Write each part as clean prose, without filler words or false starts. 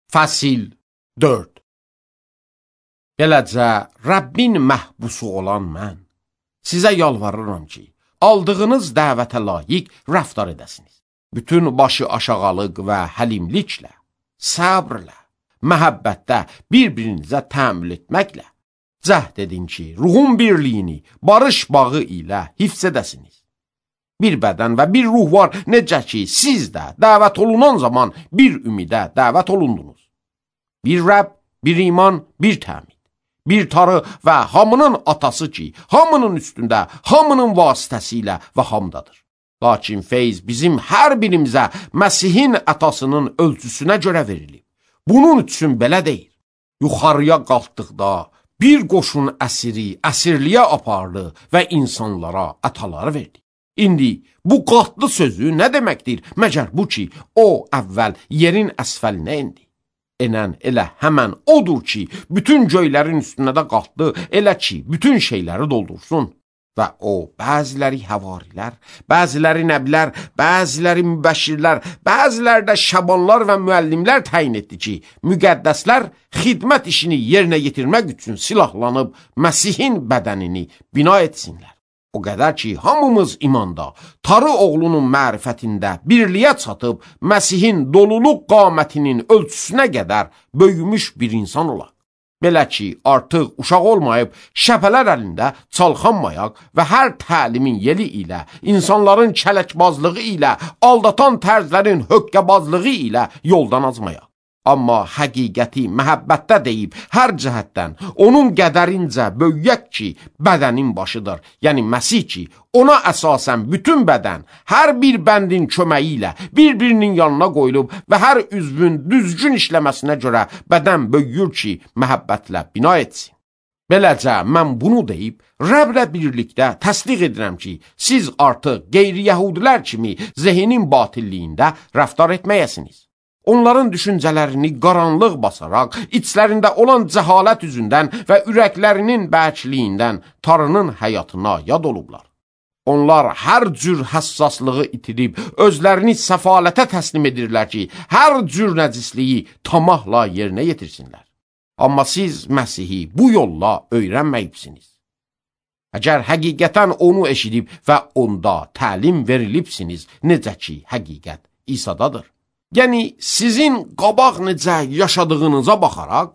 Fəsil 4. Beləcə, Rəbbin məhbusu olan mən sizə yalvarıram ki, aldığınız dəvətə layiq rəftar edəsiniz. Bütün başı aşağılıq və həlimliklə, səbrlə, məhəbbətdə bir-birinizə təmin etməklə cəhd edin ki, ruhun birliyini barış bağı ilə hifz edəsiniz. Bir bədən və bir ruh var, necə ki, siz də dəvət olunan zaman bir ümidə dəvət olundunuz. Bir Rəbb, bir iman, bir təmid, bir Tanrı və hamının atası ki, hamının üstündə, hamının vasitəsilə və hamdadır. Lakin feyz bizim hər birimizə Məsihin ətasının ölçüsünə görə verilib. Bunun üçün belə deyir. Yuxarıya qalxdıqda bir qoşun əsiri əsirliyə apardı və insanlara ətaları verdi. İndi bu qatlı sözü nə deməkdir? Məgər bu ki, o əvvəl yerin əsfəlinə indi. Enən elə həmən odur ki, bütün göylərin üstünə də qalxdı, elə ki, bütün şeyləri doldursun. Və o, bəziləri həvarilər, bəziləri nəbilər, bəziləri mübəşirlər, bəziləri də şabanlar və müəllimlər təyin etdi ki, müqəddəslər xidmət işini yerinə yetirmək üçün silahlanıb Məsihin bədənini bina etsinlər. O qədər ki, hamımız imanda, Tanrı oğlunun mərifətində birliyə çatıb, Məsihin doluluq qamətinin ölçüsünə qədər böyümüş bir insan olaq. Belə ki, artıq uşaq olmayıb, şəpələr əlində çalxanmayaq və hər təlimin yeli ilə, insanların kələkbazlığı ilə, aldatan tərzlərin höqqəbazlığı ilə yoldan azmayaq. Amma həqiqəti məhəbbətdə deyib, hər cəhətdən onun qədərincə böyüyək ki, bədənin başıdır, yəni Məsih ki, ona əsasən bütün bədən, hər bir bəndin köməyi ilə bir-birinin yanına qoyulub və hər üzvün düzgün işləməsinə görə bədən böyüyür ki, məhəbbətlə bina etsin. Beləcə, mən bunu deyib, Rəblə birlikdə təsdiq edirəm ki, siz artıq qeyri-yəhudilər kimi zehnin batilliyində rəftar etməyəsiniz. Onların düşüncələrini qaranlıq basaraq, içlərində olan cəhalət üzündən və ürəklərinin bərkliyindən Tanrının həyatına yad olublar. Onlar hər cür həssaslığı itirib, özlərini səfalətə təslim edirlər ki, hər cür nəcisliyi tamahla yerinə yetirsinlər. Amma siz Məsihi bu yolla öyrənməyibsiniz. Əgər həqiqətən onu eşidib və onda təlim verilibsiniz, necə ki, həqiqət İsa'dadır. Yəni, sizin qabaq necə yaşadığınıza baxaraq,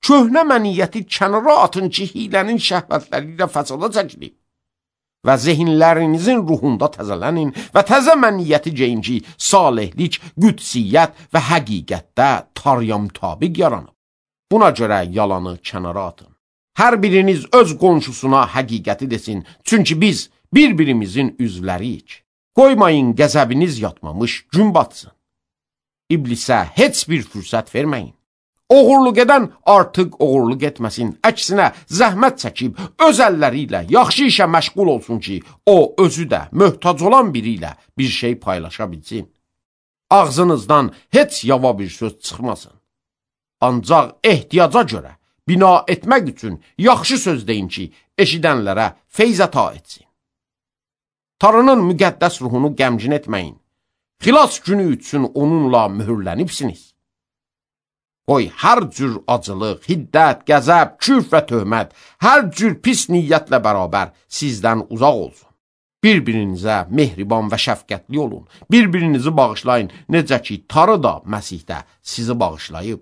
köhnə məniyyəti kənara atın ki, hilənin şəhvətləri ilə fəsada çəkilib. Və zehinlərinizin ruhunda təzələnin və təzə məniyyəti geyin ki, salihlik, qüdsiyyət və həqiqətdə Tanrıya mütabiq yaranıb. Buna görə yalanı kənara atın. Hər biriniz öz qonşusuna həqiqəti desin, çünki biz bir-birimizin üzvləriyik. Qoymayın qəzəbiniz yatmamış gün batsın. İblisə heç bir fürsət verməyin. Oğurluq edən artıq oğurluq etməsin, əksinə zəhmət çəkib öz əlləri ilə yaxşı işə məşğul olsun ki, o özü də möhtac olan biri ilə bir şey paylaşa bilsin. Ağzınızdan heç yava bir söz çıxmasın. Ancaq ehtiyaca görə bina etmək üçün yaxşı söz deyin ki, eşidənlərə feyz əta etsin. Tanrının müqəddəs ruhunu qəmgin etməyin. Xilas günü üçün onunla mühürlənibsiniz. Qoy hər cür acılıq, hiddət, qəzəb, küfr və töhmət, hər cür pis niyyətlə bərabər sizdən uzaq olsun. Bir-birinizə mehriban və şəfqətli olun. Bir-birinizi bağışlayın, necə ki, Tanrı da Məsihdə sizi bağışlayıb.